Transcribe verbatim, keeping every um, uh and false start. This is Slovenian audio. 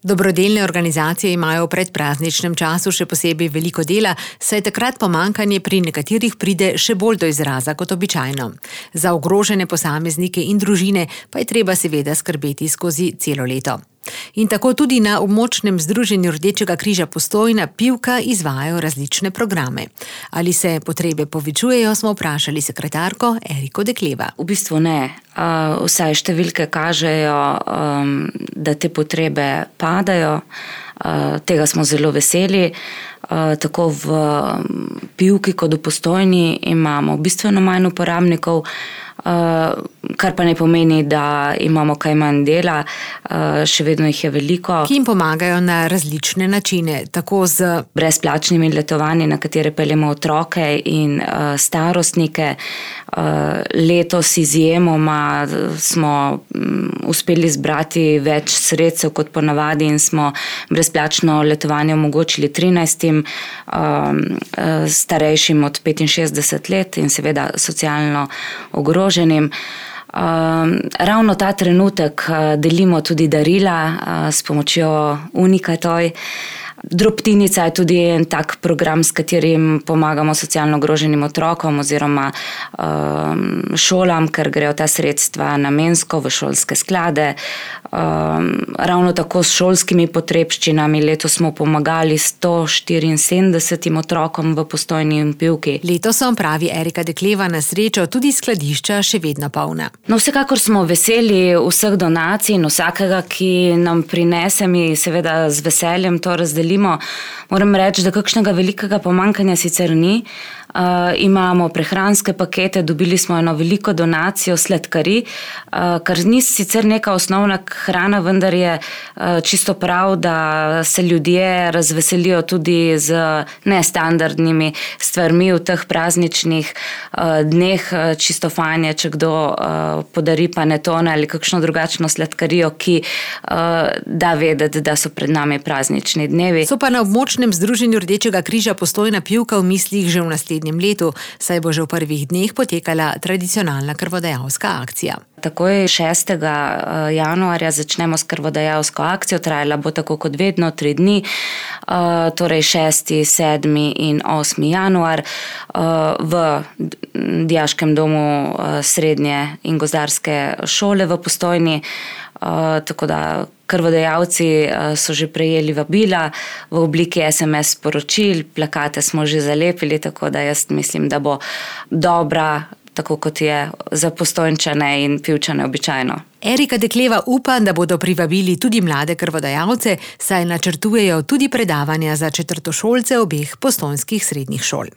Dobrodelne organizacije imajo v predprazničnem času še posebej veliko dela, saj takrat pomanjkanje pri nekaterih pride še bolj do izraza kot običajno. Za ogrožene posameznike in družine pa je treba seveda skrbeti skozi celo leto. In tako tudi na območnem združenju Rdečega križa Postojna Pivka izvajajo različne programe. Ali se potrebe povečujejo, smo vprašali sekretarko Eriko Dekleva. V bistvu ne. Vsaj številke kažejo, da te potrebe padajo. Tega smo zelo veseli. Tako v Pivki kot v Postojni imamo bistveno manj uporabnikov, kar pa ne pomeni, da imamo kaj manj dela, še vedno jih je veliko. Ki jim pomagajo na različne načine, tako z brezplačnimi letovanji, na katere peljemo otroke in starostnike. Letos izjemoma smo uspeli zbrati več sredstev kot ponavadi in smo brezplačno letovanje omogočili trinajstim starejšim od petinšestdeset let in seveda socialno ogroženim. Ravno ta trenutek delimo tudi darila s pomočjo Unikatoj. Drobtinica je tudi en tak program, s katerim pomagamo socialno ogroženim otrokom oziroma um, šolam, ker grejo ta sredstva namensko v šolske sklade. Um, ravno tako s šolskimi potrebščinami. Letos smo pomagali sto štiriinsedemdesetim otrokom v Postojni in Pivki. Letos so, pravi Erika Dekleva, na srečo tudi skladišča še vedno polna. No, vsekakor smo veseli vseh donacij in vsakega, ki nam prinese, mi seveda z veseljem to razdelimo. Moram reči, da kakšnega velikega pomanjkanja sicer ni. Uh, imamo prehranske pakete, dobili smo eno veliko donacijo sladkarij, uh, kar ni sicer neka osnovna hrana, vendar je uh, čisto prav, da se ljudje razveselijo tudi z nestandardnimi stvarmi v teh prazničnih uh, dneh. Čisto fajn je, če kdo uh, podari panetone ali kakšno drugačno sladkarijo, ki uh, da vedeti, da so pred nami praznični dnevi. So pa na območnem združenju Rdečega križa Postojna Pivka v mislih že v naslednjem letu, saj bo že v prvih dneh potekala tradicionalna krvodajalska akcija. Takoj šestega januarja začnemo s krvodajalsko akcijo, trajala bo tako kot vedno tri dni, torej šesti, sedmi in osmi januar v Dijaškem domu srednje in gozdarske šole v Postojni. Tako da krvodajalci so že prejeli vabila v obliki es em es sporočil, plakate smo že zalepili, tako da jaz mislim, da bo dobra, tako kot je za Postojnčane in Pivčane običajno. Erika Dekleva upa, da bodo privabili tudi mlade krvodajalce, saj načrtujejo tudi predavanja za četrtošolce obeh postojnskih srednjih šol.